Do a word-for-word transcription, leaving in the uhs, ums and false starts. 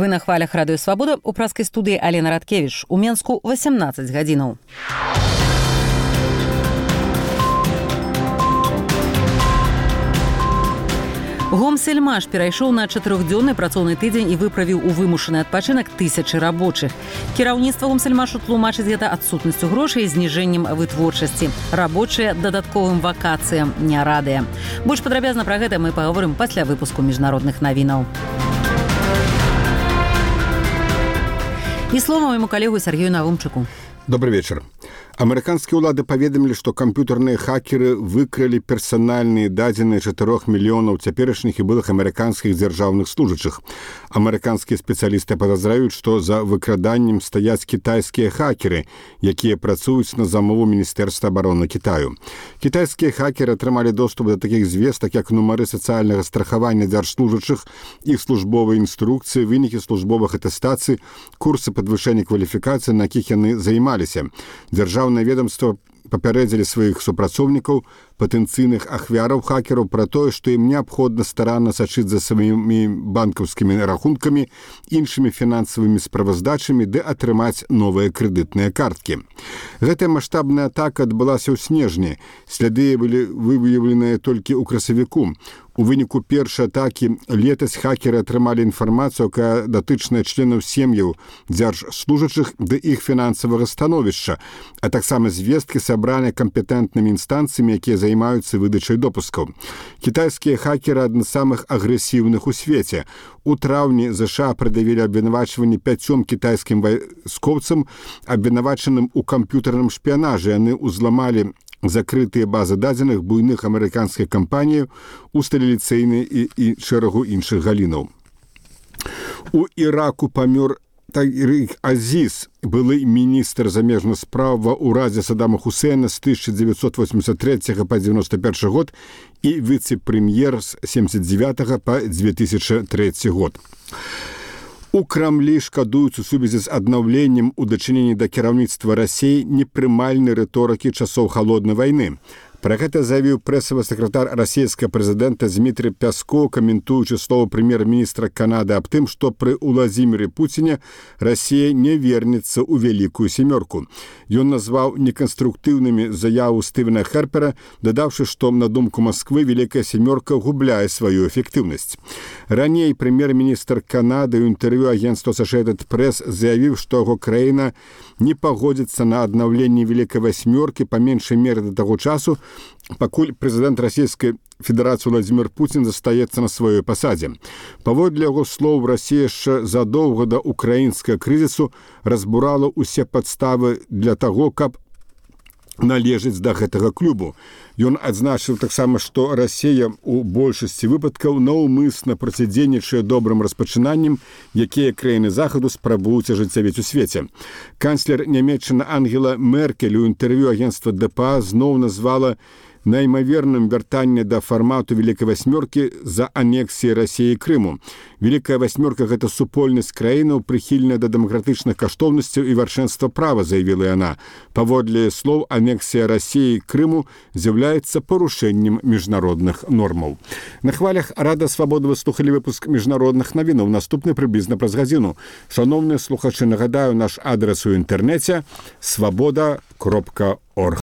Вы на хвалях радыё Свабода, у праскай студыі Алена Радкевіч. У Менску восемнадцать гадзінаў. Гомсельмаш перайшоў на чатырохдзённы працоўны тыдзень і выправіў у вымушаны адпачынак тысячы рабочых. Кіраўніцтва Гомсельмашу тлумачыць гэта адсутнасцю грошай і зніжэннем вытворчасці. Рабочыя дадатковым вакацыям не радыя. Больш падрабязна пра гэта мы паговорым пасля выпуску міжнародных навінаў. І слова майму калегу Сергею Навумчыку. Добрый вечер. Амерыканскія ўлады паведамілі, што камп'ютарныя хакеры выкралі персанальныя дадзеныя чатырох мільёнаў цяперашніх і былых амерыканскіх дзяржаўных служачых. Амерыканскія спецыялісты падазраюць, што за выкраданнем стаяць кітайскія хакеры, якія працуюць на замову Міністэрства абароны Кітаю. Кітайскія хакеры атрымалі доступ да такіх звестак, як нумары сацыяльнага страхавання дзяржслужачых, іх службовыя інструкцыі, вынікі службовых атэстацый, курсы падвышэння кваліфікацыі, на якіх яны займаліся. Дзяржаўнае ведомства папярэдзілі сваіх супрацоўнікаў, патэнцыйных ахвяраў хакераў пра тое, што ім неабходна старанна сачыць за сваімі банкаўскімі рахункамі, іншымі фінансавымі справаздачамі ды атрымаць новыя крэдытныя карткі. Гэтая маштабная атака адбылася ў снежні. Сляды былі выяўленыя толькі ў красавіку. У выніку першай атакі летась хакеры атрымалі інфармацыю, якая датычная членаў сем'яў дзяржслужачых ды іх фінансавага становішча, а таксама звесткі сабраныя кампетэнтнымі інстанцыямі, якія займаюцца выдачай допускаў. Кітайскія хакеры адны з самых агрэсіўных у свеце. У траўні ЗША прад'явілі абвінавачванні пяцём кітайскім вайскоўцам, абвінавачаным у камп'ютарным шпіянажы. Яны ўзламалі закрытыя базы дадзеных буйных амерыканскіх кампаній, усталіліцыйнай і, і шэрагу іншых галінаў. У Іраку памёр Тарик Азіз, былы міністр замежных спраў ва ўрадзе Саддама Хусейна з тысяча дзевяцьсот восемьдесят третьего па девяносто первый год і віцэ-прэм'ер з семьдесят девятого па две тысячи третий год. У Крамлі шкадуюць у сувязі з аднаўленнем у дачыненні да кіраўніцтва Расіі непрымальнай рыторыкі часоў халоднай вайны. Пра гэта заявіў прэсавы сакратар расійскага прэзідэнта Дмітрый Пяскоў, каментуючы словы прэм'ер-міністра Канады аб тым, што пры Уладзіміры Пуціне Расія не вернецца ў вялікую сямёрку. Ён назваў неканструктыўнымі заяву Стывена Хэрпера, дадаўшы, што, на думку Масквы, вялікая сямёрка губляе сваю эфектыўнасць. Раней прэм'ер-міністр Канады ў інтэрв'ю агенцтва Associated Press заявіў, што яго краіна не пагодзіцца на аднаўленне вялікай васьмёркі па меншай меры да таго часу, пакуль прэзідэнт Расійскай Федэрацыі Владзімір Пуцін застаецца на сваёй пасадзе. Паводле яго слоў, Расія яшчэ задоўга да украінскага крызісу разбурала ўсе падставы для таго, каб належыць да гэтага клубу. Ён адзначыў таксама, што Расія ў большасці выпадкаў наўмысна процідзейнічае добрым распачынанням, якія краіны захаду спрабуюць ажыццявіць у свеце. Канцлер Нямецчыны Ангела Меркель у інтэрв'ю агенцтва ДПА зноў назвала наймаверным вяртанне да фармату Вялікай васьмёркі за анексіяй Расіі Крыму. Вялікая васьмёрка – гэта супольнасць краінаў, прыхільная да дэмакратычных каштоўнасцяў і вяршэнства права, заявіла яна. Паводле слоў, анексія Расіі Крыму з'яўляецца парушэннем міжнародных нормаў. На хвалях Рада Свабоды вы слухалі выпуск міжнародных навінаў. Наступны прыблізна праз гадзіну. Шановныя слухачы, нагадаю, наш адрес у інтэрнэце свабода кропка орг.